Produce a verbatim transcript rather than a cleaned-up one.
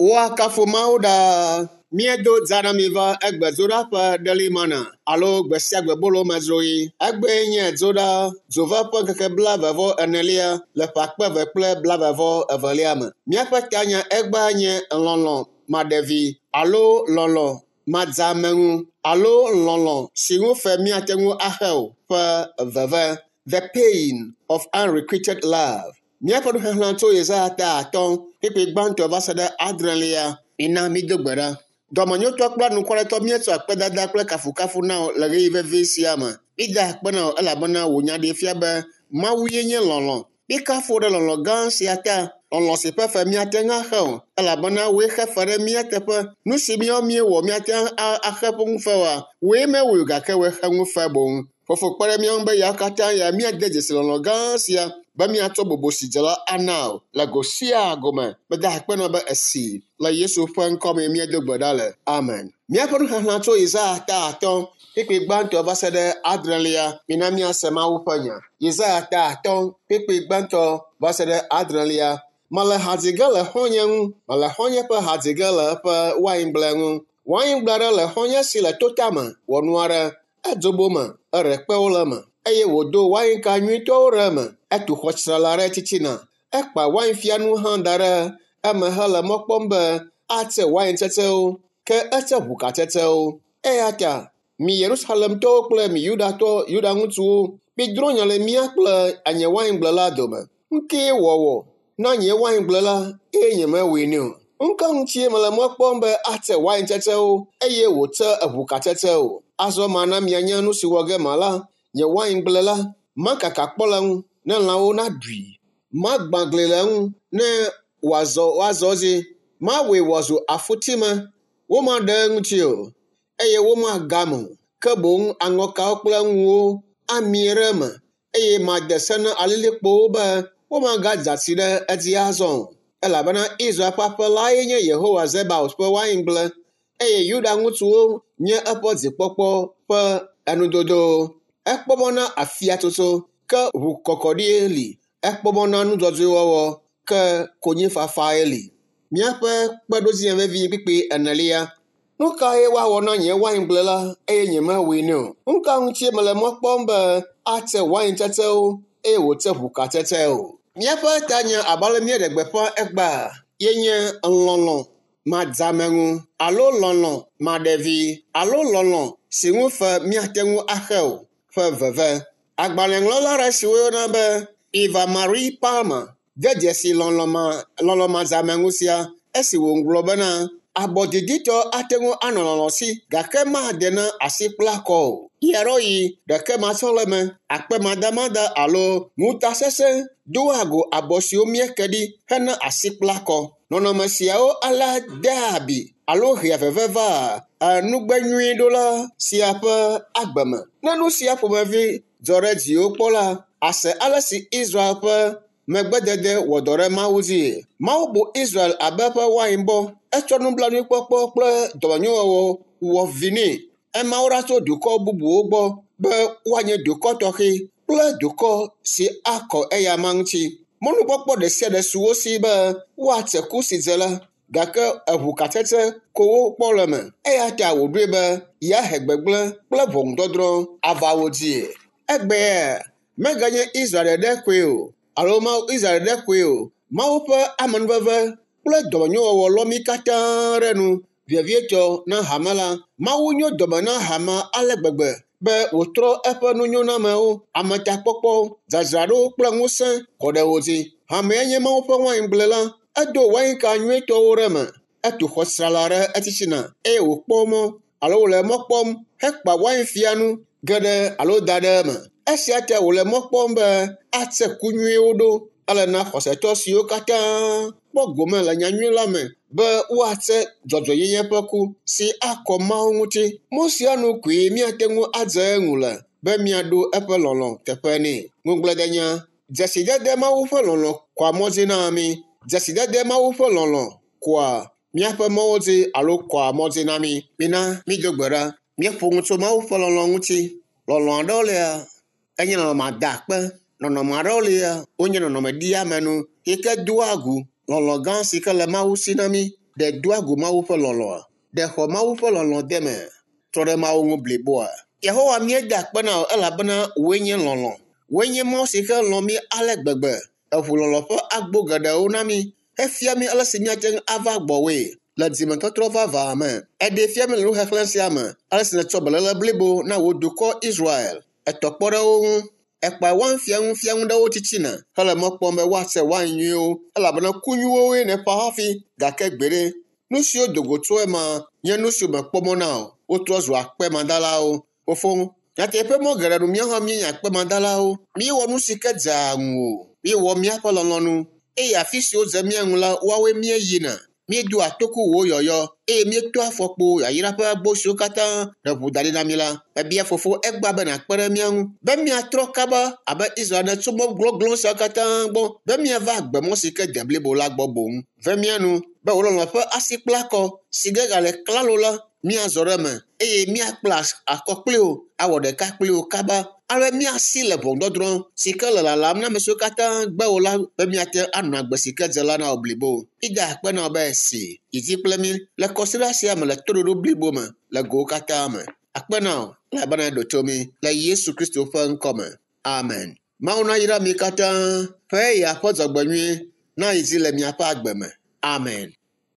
Woakafu Mawu ɖaa. Míedo dza na mi va egbe dzoɖaƒe ɖelimana alo gbe sia gbe bolomedzroɣi. Egbee nye dzoɖa dzove ƒe ŋkeke blaeve vɔ enelia le ƒe akpe eve kple blaeve vɔ evelia me. Míaƒe tanya egbea nye lɔlɔ̃ maɖevi alo lɔlɔ̃ madzeameŋu alo lɔlɔ̃ si ŋu fe míate ŋu axe o ƒe veve. The pain of unrequited love. Míaƒe nuxexlẽ tso Yesaya ta atɔ̃ kpukpui gbãtɔ va se ɖe adrelia. Mina mído gbe ɖa. Dɔmenyotɔ kple anukwaretɔ míetsɔ akpedada kple kafukafu na wò le ɣeyiɣi vevi sia me. Mída akpe na wò elabena wò nya ɖee fia be Mawu ye nye lɔlɔ̃. Míekafu wò ɖe lɔlɔ̃ gã sia ta. Lɔlɔ̃ si ƒe fe míate ŋu axe o elabena wòe xe fe ɖe mía teƒe. Nu si míawo míewɔ míate ŋu axe ƒe ŋufe oa, wòe mewɔe o gake wòe xe ŋufe boŋ. Fofo kpe ɖe mía ŋu be yawo katã ya míade dzesi lɔlɔ̃ gã sia be míatsɔ bubu si dze la ana wò le go sia go me. Meda akpe na wò be esi le Yesu ƒe ŋkɔ me míedo gbe ɖa le. Amen. Míaƒe nuxexlẽ tso Yesaya ta atɔ̃ kpukpui gbãtɔ va se ɖe adrelia. Mina míase Mawu ƒe nya. Yesaya ta atɔ̃ kpukpui gbãtɔ va se ɖe adrelia. Mele ha dzi ge le xɔ̃nye ŋu. Mele xɔ̃nye ƒe ha dzi ge le eƒe waingble ŋu. Waingble aɖe le xɔ̃nye si le totame wɔ nu aɖe. Edzobo me, eɖe kpewo le eme eye wòdo wainka nyuitɔwo ɖe eme. Etu xɔ tsrala ɖe titina. Ekpa wainfianu hã da ɖe eme hele mɔ kpɔm be atse waintsetsewo ke etse ʋukatsetsewo. Eya ta mi Yerusalemtɔwo kple mi Yudatɔ Yuda ŋutsuwo, midrɔ̃ nya le mía kple nye waingble la dome. Ŋkee wɔwɔ na nye waingble la eye nyemewɔe nɛ o. Ŋka ŋutie mele mɔ kpɔm be atse waintsetsewo eye wòtse eʋukatsetsewo. Azɔ mana mianya nu si wɔ ge mala. Nye waingble la, makaka kpɔ le eŋu ne lãwo naɖui. Magbã gli le eŋu ne wòazɔ woazɔ edzi. Mawɔe wòazu afutime. Womaɖe eŋuti o eye womagame o. Ke boŋ aŋɔkawo kple ŋuwo amie ɖe eme eye made se na alilikpowo be womagadza tsi ɖe edzi azɔ o. Elabena Israel ƒe aƒe lae nye Yehowa Zebaot ƒe waingble eye Yuda ŋutsuwo nye eƒe dzikpɔkpɔ ƒe enudodo. Ekpɔ mɔ na afiatsotso ke ʋukɔkɔɖie li. Ekpɔ mɔ na nu dzɔdzɔe wɔwɔ ke konyifafae li. Míaƒe kpeɖodzinya vevi kpukpui enelia. Nu kae woawɔ na nye waingble la eye nyemewɔe nɛ o? Nu ka ŋutie mele mɔ kpɔm be atse waintsetsewo eye wòtse ʋukatsetsewo? Míaƒe tanya abe ale míeɖe gbeƒã egbea ye nye lɔlɔ̃ madzeameŋu alo lɔlɔ̃ maɖevi alo lɔlɔ̃ si ŋu fe míate ŋu axe o ƒe veve. Agbalẽŋlɔla aɖe si woyɔna be Eva Marie Palmer de dzesi lɔlɔ̃ ma lɔlɔ̃ madzeameŋu sia esi wòŋlɔ bena abɔ diditɔ ate ŋu anɔ lɔlɔ̃ si gake made na asikplakɔ o. Ɣeaɖewoɣi ɖeke matsɔleme, akpemadamada alo ŋutasesẽ doa go abɔ siwo míeke ɖi hena asikplakɔ. Nɔnɔme siawo alea dea abi alo hea veve vaa nugbenyuiɖola sia ƒe agbe me. Ne nu sia ƒomevi dzɔ ɖe dziwò kpɔ la, ase ale si Israel ƒe megbedede wɔ dɔ ɖe Mawu dzi. Mawu bu Israel abe eƒe wainbɔ. Etsɔ nublanuikpɔkpɔ kple dɔmenyowɔwɔ wɔ vi nɛ. Ema wo ɖa tso dukɔ bubuwo gbɔ be woanye dukɔ tɔxɛ kple dukɔ si akɔ eyama ŋuti. Mɔnukpɔkpɔ ɖe sia ɖe su wo si be woatse ku si dze la gake eʋukatsetse ko wokpɔ le eme. Eya ta wòɖoe be yeahe gbegblẽ kple ʋɔnudɔdrɔ̃ ava wo dzie. Egbea meganye Israel ɖeɖe koe o alo Mawu Israel ɖeɖe koe o. Mawu ƒe amenuveve kple dɔmenyowɔwɔ lɔ mí katã ɖe nu vevietɔ na hame la. Mawu nyo dɔme na hamea ale gbegbe be wòtrɔ eƒe nunyonamewo, ametakpɔkpɔ, dzadzraɖo kple ŋusẽ kɔ ɖe wo dzi. Hamea nye Mawu ƒe waingble la. Edo wainka nyuitɔwo ɖe eme. Etu xɔ tsrala ɖe etitina eye wòkpɔ mɔ alo wòle mɔ kpɔm hekpa wainfianu geɖe alo da ɖe eme. Esia ta wòle mɔ kpɔm be atse ku nyuiwo ɖo. Ele na xɔsetɔ siwo katã kpɔ gome le nyanyui la me be woatse dzɔdzɔenyenye ƒe ku si akɔ Mawu ŋuti. Mɔ sia nu koe míate ŋu adze eŋu le be míaɖo eƒe lɔlɔ̃ teƒe nɛ. Ŋugbledenya. Dzesidede Mawu ƒe lɔlɔ̃ kɔa mɔ dzi na mí. Dzesidede Mawu ƒe lɔlɔ̃ kɔa míaƒe mɔwo dzi alo kɔa mɔ dzi na mí. Mina mído gbe ɖa. Míeƒo nu tso Mawu ƒe lɔlɔ̃ ŋuti. Lɔlɔ̃ aɖewo lia, enye nɔnɔme adakpe. Nɔnɔme aɖewo lia, wonye nɔnɔme ɖiamenu yi ke doa gu lɔlɔ̃ gã si ke le Mawu si na mí. Ɖe doa go Mawu ƒe lɔlɔ̃a? Ɖe xɔ Mawu ƒe lɔlɔ̃ de me? Trɔ ɖe Mawu ŋu bliboa? Yehowa míeda akpe na wò elabena wòe nye lɔlɔ̃. Wòe nye Mawu si ke lɔ̃ mí ale gbegbe. Eʋu lɔlɔ̃ ƒe agbo geɖewo na mí hefia mí ale si míate ŋu ava gbɔwòe le dzimetɔtrɔ vavã me. Eɖee fia mí le nuxexlẽ sia me ale si nètsɔ beléle blibo na wò dukɔ Israel. Etɔ kpɔ ɖe wo ŋu. Ekpa wainfiaŋu fiaŋu ɖe wo titina hele mɔ kpɔm be woatse wain nyuiwo elabena ku nyuiwoe nèƒã hafi gake gbeɖe nu siwo do go tso ema nye nu siwo mèkpɔ mɔ na o. Wotrɔ zu akpemadalawo. Fofo, nyateƒe mɔ geɖe nu míawo hã míenye akpemadalawo. Míewɔ nu si ke dzea ŋuwò. Míewɔ míaƒe lɔlɔ̃nu eye afi siwo dze mía ŋu la, woawoe míeyina. Míedoa toku wò yɔyɔ eye míetoa afɔkpo yayra ƒe agbo siwo katã nèʋu da ɖi na mí la. Mebia fofo egbea be nàkpe ɖe mía ŋu be míatrɔ kaba abe Israel ene tso mɔ glɔglɔ̃ siawo katã gbɔ be míava agbemɔ si ke de blibo la gbɔ boŋ. Ve mía nu be wò lɔlɔ̃ ƒe asikplakɔ si ge gale klalo la míazɔ ɖe eme eye míakpla akɔ kpli wò awɔ ɖeka kpli wò kaba ale be míasi le ʋɔnudɔdrɔ̃ si ke le lalam na ame siwo katã gbe wò la be míate anɔ agbe si ke dze la na wò blibo. Mída akpe na wò be esi yi dzi kple mí le kɔsiɖa sia me le toɖoɖo blibo me le gowo katã me. Akpe na wò elabena èɖo to mí le Yesu Kristo ƒe ŋkɔ me. Amen. Mawu nayra mi katã ƒe eya ƒe dzɔgbenyui na yi dzi le miaƒe agbe me. Amen.